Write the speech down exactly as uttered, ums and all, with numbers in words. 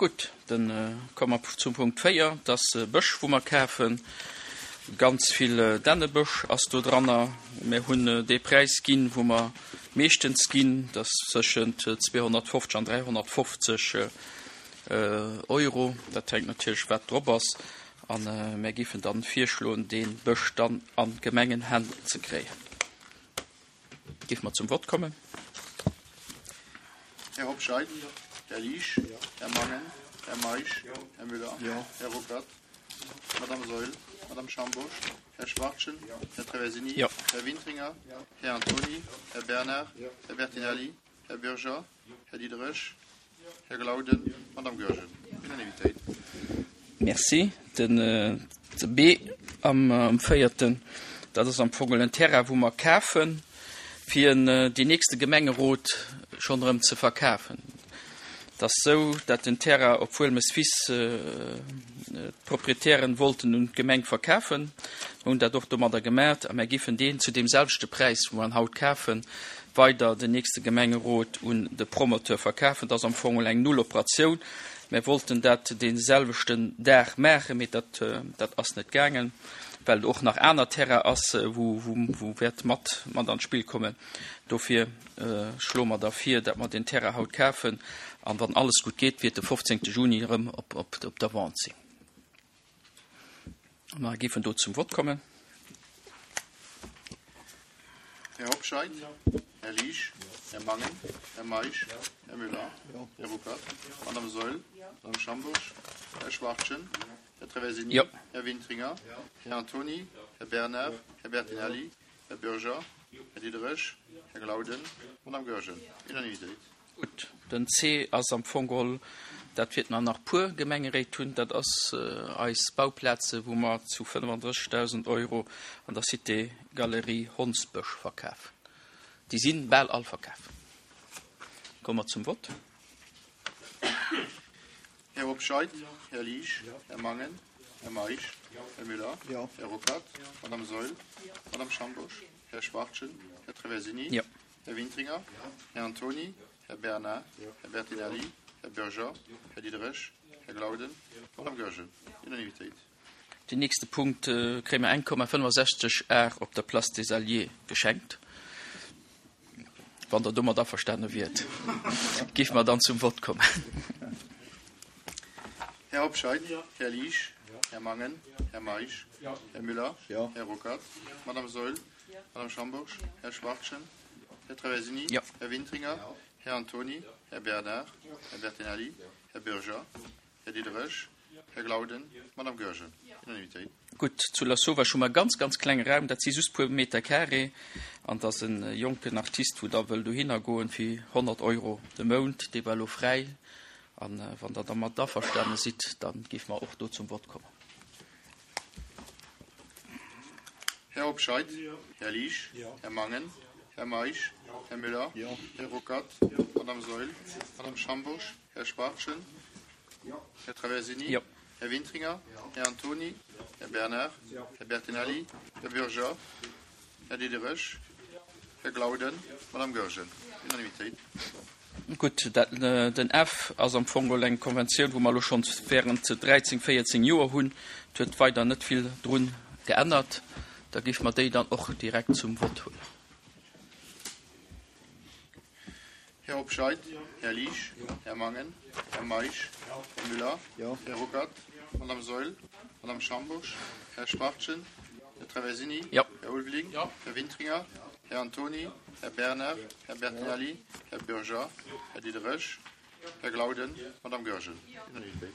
Gutt, dann komme mer zum Punkt véier, dat ass Bësch, wou mer kafen. Ganz vill Dännebësch ass do dranner. Mir hunn dee Präis ginn, wou mer meeschtens ginn, dat ass tëschent zweehonnertfofzeg an dräihonnertfofzeg Euro. Dat hänkt natierlech, wat drop ass. A mir géifen dann virschloen, dee Bësch dann an d'Gemengenhänn ze kréien. Géife mer zum Vott kommen. Här Hobscheit? Här Liesch? Här Mangen? Här Meisch? Här Müller? Här Ruckert? Madame Saeul? Madame Schambourg? Här Schwachtgen? Här Traversini? Här Wintringer? Här Antony? Här Bernard? Här Bertinelli? Här Bürger? Här Diderich? Här Glauden? Madame Goergen? Unanimitéit. Merci. Den B am véierten, dat ass am Fong en Terrain, wou mer kafen, fir en deen nächste Gemengerot schonn erëm ze verkafen. Et ass esou, dat den Terrain op Wuelmes Wiss d'Proprietären wollten un d'Gemeng verkafen. Mer hunn dat och domadder gemat a mer giffen deen zu deem selwechte Präis, wou mer en haut kafen, weider den nächste Gemengerot un de Promoteur verkafen. Dat ass am Fong eng Nulloperatioun. Mer wollten dat dee selwechten Dag maachen, mee dat, dat ass net gaangen, well och nach aner Terrain ass, wou, wou, wou wäert mat, mat an d'Spill kommen. Dofir schloe mer da vir, datt mer deen Terrain haut kafen an wann alles gutt geet, wäert de fofzéngte Juni erëm op, op, op der Vente sinn. A mer géifen do zum Vott kommen. Här Hobscheit, Här Liesch, Här Mangen, Här Meisch, Här Müller, Här Ruckert, Madame Saeul, Madame Schambourg, Här Schwachtgen, Här Traversini, Här Wintringer, Här Antony, Här Bernard, Här Bertinelli, Här Bürger, Här Diderich, Här Glauden, Madame Goergen. Unanimitéit. Gutt, den C ass am Fong geholl, dat wäerte mer nach puer Gemengeréit hunn, dat ass eis Bauplaze wou mer zu fënnefandrëssigdausend Euro an der Cité Galerie Hondsbësch verkafen. Déi si bal all verkaf. Komme mer zum Vott. Här Hobscheit, Här Liesch, Här Mangen, Här Meisch, Här Müller, Här Ruckert, Madame Saeul, Madame Schambourg, Här Schwachtgen, Här Traversini, Här Wintringer, Här Antony, Här Bernard, Här Bertinelli, Här Bürger, Här Diderich, Här Glauden, Madame Goergen. Unanimitéit. Den nächste Punkt kréie mer eng Komma fënnefasechzeg Ar op der Place des Alliés geschenkt. Wann Der domat averstane wiert, géife mer dann zum Vott kommen. Här Hobscheit, Här Liesch, Här Mangen, Här Meisch, Här Müller, Här Ruckert, Madame Saeul, Madame Schambourg, Här Schwachtgen, Här Traversini, Här Wintringer, Här Antony, Här Bernard, Här Bertinelli, Här Bürger, Här Diderich, Här Glauden, Madame Goergen. Unanimitéit. Gutt, zu Lasauvage hu mer e ganz, ganz klenge Raum, dat si just puer Meter carré, an et ass e jonken Artist, wou da wëll dohinner goen fir honnert Euro de Mount. Dee war elo fräi, a wann Der dermat averstane sidd, da géife mer och do zum Vott kommen. Här Hobscheit, Här Liesch, Här Mangen, Här Meisch, Här Müller, Här Ruckert, Madame Saeul, Madame Schambourg, Här Schwachtgen, Här Traversini, Här Wintringer, Här Antony, Här Bernard, Här Bertinelli, Här Bürger, Här Diderich, Här Glauden, Madame Goergen. Unanimitéit. Gutt, dat, den F ass am Fong geholl eng Konventioun, wou mer elo schonns während dräizéng, véierzéng Joer hunn. Et huet weider net vill drun geännert. Da géife mer déi dann och direkt zum Vott huelen. Här Hobscheit, Här Liesch, Här Mangen, Här Meisch, Här Müller, Här Ruckert, Madame Saeul, Madame Schambourg, Här Schwachtgen, Här Traversini, Här Ulveling, Här Wintringer, Här Antony, Här Bernard, Här Bertinelli, Här Bürger, Här Diderich, Här Glauden, Madame Goergen. Unanimitéit.